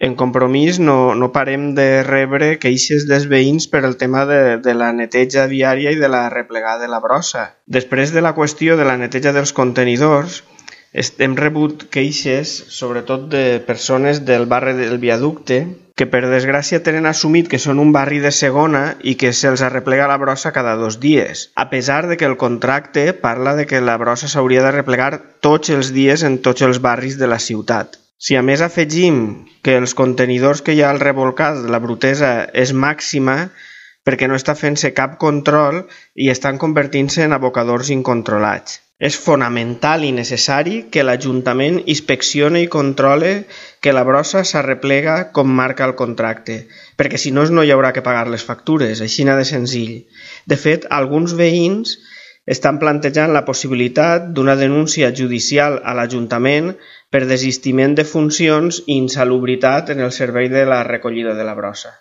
En Compromís no parem de rebre queixes dels veïns per el tema de la neteja diària i de la replegada de la brossa. Després de la qüestió de la neteja dels contenidors, hem rebut queixes, sobretot de persones del barri del Viaducte, que per desgràcia tenen assumit que són un barri de segona i que se'ls arreplega la brossa cada 2 dies, a pesar de que el contracte parla de que la brossa s'hauria de replegar tots els dies en tots els barris de la ciutat. Si a més afegim que els contenidors que hi ha al rebolcat de la Brutesa és màxima perquè no està fent-se cap control i estan convertint-se en abocadors incontrolats. És fonamental i necessari que l'Ajuntament inspeccione i controle que la brossa s'arreplega com marca el contracte, perquè si no no hi haurà que pagar les factures, així de senzill. De fet, alguns veïns estan plantejant la possibilitat d'una denúncia judicial a l'Ajuntament per desistiment de funcions i insalubritat en el servei de la recollida de la brossa.